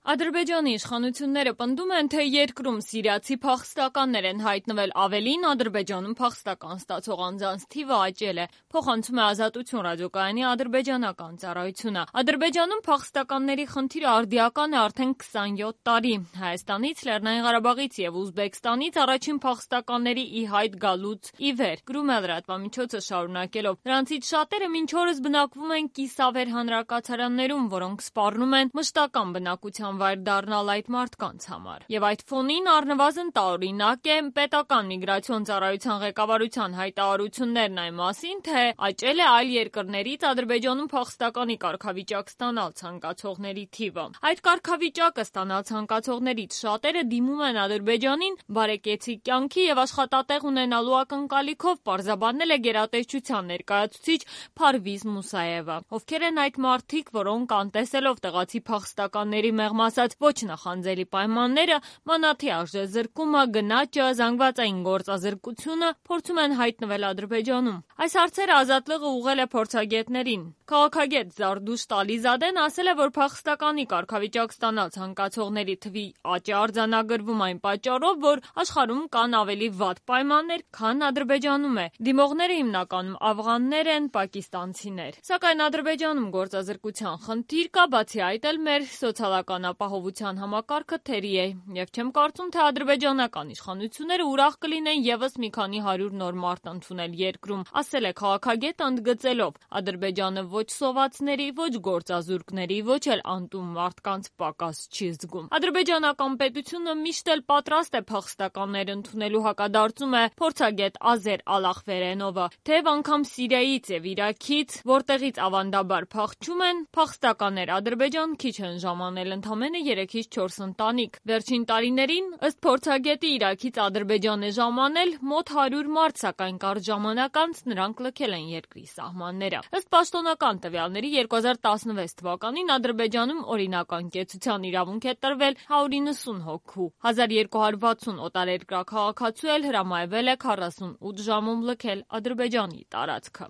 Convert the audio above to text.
Ադրբեջանի իշխանությունները պնդում են, թե երկրում սիրիացի փախստականներ են հայտնվել, ավելին Ադրբեջանում փախստական ստացող անձանց թիվը աճել է, փոխանցում է Ազատություն ռադիոկայանի ադրբեջանական ծառայությունը։ Ադրբեջանում փախստականների խնդիրը արդիական է արդեն 27 տարի։ Հայաստանից, Լեռնային Ղարաբաղից եւ Ուզբեկստանից առաջին փախստականների ի հայտ գալուց ի վեր, գրում է լրատվամիջոցը շարունակելով։ Նրանցից շատերը մինչ օրս բնակվում են կիսավեր հանրակացարաններում, որոնք սպառնում են մշտական բնակության վայր դառնալ այդ մարդկանց համար։ Եվ այդ ֆոնին առնվազն տարօրինակ է պետական միգրացիոն ծառայության ղեկավարության հայտարարություններն այն մասին, թե աճել է այլ երկրներից Ադրբեջանում փախստականի կարգավիճակ ստանալ ցանկացողների թիվը։ Այդ կարգավիճակը ստանալ ցանկացողներից շատերը դիմում են Ադրբեջանին բարեկեցիկ կյանքի եւ աշխատատեղ ունենալու ակնկալիքով, պարզաբանել է գերատեսչության ներկայացուցիչ Փարվիզ Մուսաևը։ Ովքեր են այդ մարդիկ, որոնք անտեսելով տեղացի փախստականների մեղմ ասած ոչ նախանձելի պայմանները, մանաթի արժեզրկումը, գնաճը, զանգվածային գործազրկությունը, փորձում են հայտնվել Ադրբեջանում։ Այս հարցերը Ազատ լողը ուղղել է փորձագետներին։ Քաղաքագետ Զարդուշ Տալիզադեն ասել է, որ փախստականի կարգավիճակ ստանալ ցանկացողների թվի աճ է արձանագրվում այն պատճառով, որ աշխարհում կան ավելի վատ պայմաններ, քան Ադրբեջանում է։ Դիմողները հիմնականում աֆղաններ են, պակիստանցիներ։ Սակայն Ադրբեջանում գործազրկության խնդիր կա, բացի այդ էլ մեր սոցիալական ապահովության համակարգը թերի է, եւ չեմ կարծում, թե ադրբեջանական իշխանությունները ուրախ կլինեն եւս մի քանի 100 նոր մարդ ընդունել երկրում, ասել է քաղաքագետը ընդգծելով. Ադրբեջանը ոչ սովածների, ոչ գործազուրկների, ոչ էլ անտուն մարդկանց պակաս չի զգում։ Ադրբեջանական պետությունը միշտ էլ պատրաստ է փախստականներ ընդունելու, հակադարձում է փորձագետ Ազեր Ալախվերենովը, թեև անգամ Սիրիայից եւ Իրաքից, որտեղից ավանդաբար փախչում են, փախստականներ Ադրբեջան քիչ են ժամանել, ընդամենը 3-ից 4 ընտանիք։ Վերջին տարիներին, ըստ փորձագետի, Իրաքից Ադրբեջան է ժամանել մոտ 100 մարդ, սակայն կարճ ժամանակ անց նրանք լքել են երկրի սահմանները։ Ըստ պաշտոնական տվյալների 2016 թվականին Ադրբեջանում օրինական կեցության իրավունք է տրվել 190 հոգու։ 1260 օտարերկրյա քաղաքացու էլ հրամայվել է 48 ժամում լքել Ադրբեջանի տարածքը։